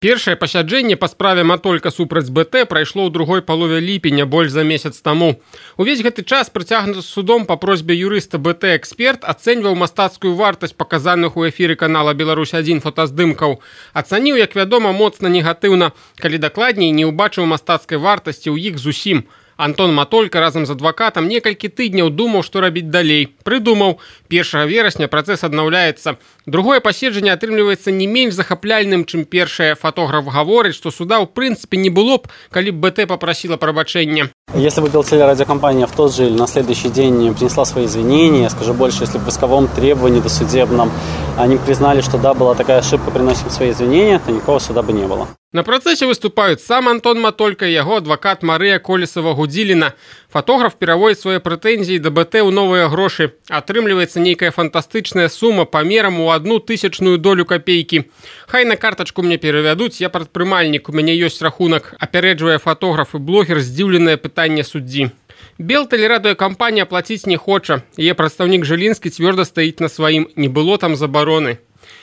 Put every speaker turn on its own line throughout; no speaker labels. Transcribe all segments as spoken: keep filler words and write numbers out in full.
Першае пасяджэнне па справе Матолька супраць БТ прайшло ў другой палове ліпеня, больш за месяц таму. Увесь гэты час прыцягнуты судом па просьбе юрыста БТ эксперт ацэньваў мастацкую вартасць паказаных у эфіры канала Беларусь адзін фотаздымкаў. Ацаніў, як вядома, моцна негатыўна, калі дакладней не ўбачыў мастацкай вартасці ў іх зусім. Антон Матолька разам з адвакатам некалькі тыдняў думаў, што рабіць далей. Прыдумаў, першага верасня працэс аднаўляецца. Другое паседжанне атрымліваецца не менш захапляльным, чым першае. Фотограф гаворыць, што суда ў прынцыпе не было б, калі б БТ папрасіла прабачэння.
Если бы Белтелерадиокомпания в тот же или на следующий день принесла свои извинения, скажу больше, если бы в исковом требовании досудебном они признали, что да, была такая ошибка, приносим свои извинения, то никакого суда бы не было.
На працэсе выступаюць сам Антон Матолька і яго адвакат Марыя Колесава-Гудзіліна. Фотограф пераводзіць свае прэтэнзіі да БТ ў новыя грошы. Атрымліваецца нейкая фантастычная сума памерам у одну тысячную долю капейкі. Хай на картачку мне перавядуць, я прадпрымальнік, у мяне ёсць рахунак, апярэджвае фотограф і блогер здзіўленае пытанне суддзі. Белтелерадыёкампанія плаціць не хоча. Яе прадстаўнік Жылінскі цвёрда стаіць на сваім, не было там забароны.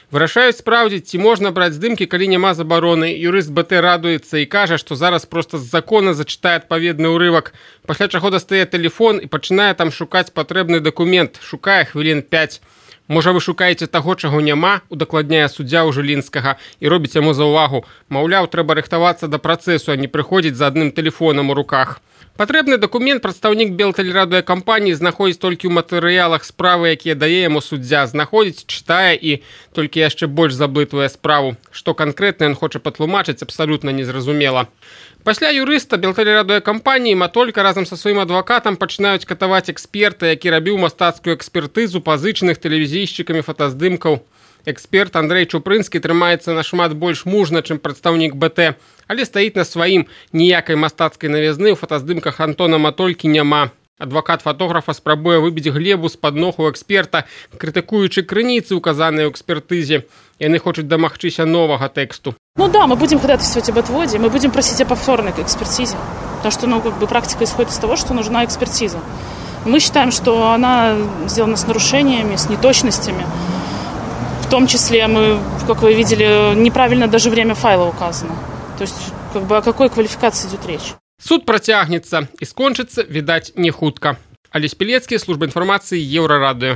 Вырашаюць спраўдзіць, ці можна браць здымкі, калі няма забароны. Юрыст БТ радуецца і кажа, што зараз проста з закона зачытае адпаведны ўрывак, пасля чаго дастае тэлефон і пачынае там шукаць патрэбны дакумент, шукае хвілін пяць. Можа, вы шукаеце таго, чаго няма, удакладняе суддзя ў Жылінскага і робіць яму заўвагу. Маўляў, трэба рыхтавацца да працэсу, а не прыходзіць за адным тэлефонам у руках. Патрэбны дакумент прадстаўнік Белтелерадыёкампаніі знаходзіць толькі ў матэрыялах справы, якія дае яму суддзя, знаходзіць, чытае і толькі яшчэ больш заблытвае справу. Што канкрэтна ён хоча патлумачыць, абсалютна незразумела. Пасля юрыста Белтелерадыёкампаніі Матолька разам са сваім адвакатам пачынаюць катаваць эксперта, які рабіў мастацкую экспертызу пазычаных тэлевізійшчыкамі фотаздымкаў. Эксперт Андрэй Чупрынскі трымаецца нашмат больш мужна, чым прадстаўнік БТ, але стаіць на сваім, ніякай мастацкай навязны ў фотаздымках Антона Матолькі няма. Адвакат фотографа спрабуе выбіць глебу з-пад ног у эксперта, крытыкуючы крыніцы, указаныя ў экспертызе. Яны хочуць дамагчыся новага тэксту.
Ну да, мы будем ходатайствовать об отводе, мы будем просить о повторной экспертизе, потому что, ну, как бы практика исходит из того, что нужна экспертиза. Мы считаем, что она сделана с нарушениями, с неточностями. В том числе мы, как вы видели, неправильно даже время файла указано. То есть, как бы, о какой квалификации идет речь?
Суд працягнецца і скончыцца, відаць, не хутка. Алесь Пілецкі, служба інфармацыі, Еўрарадыё.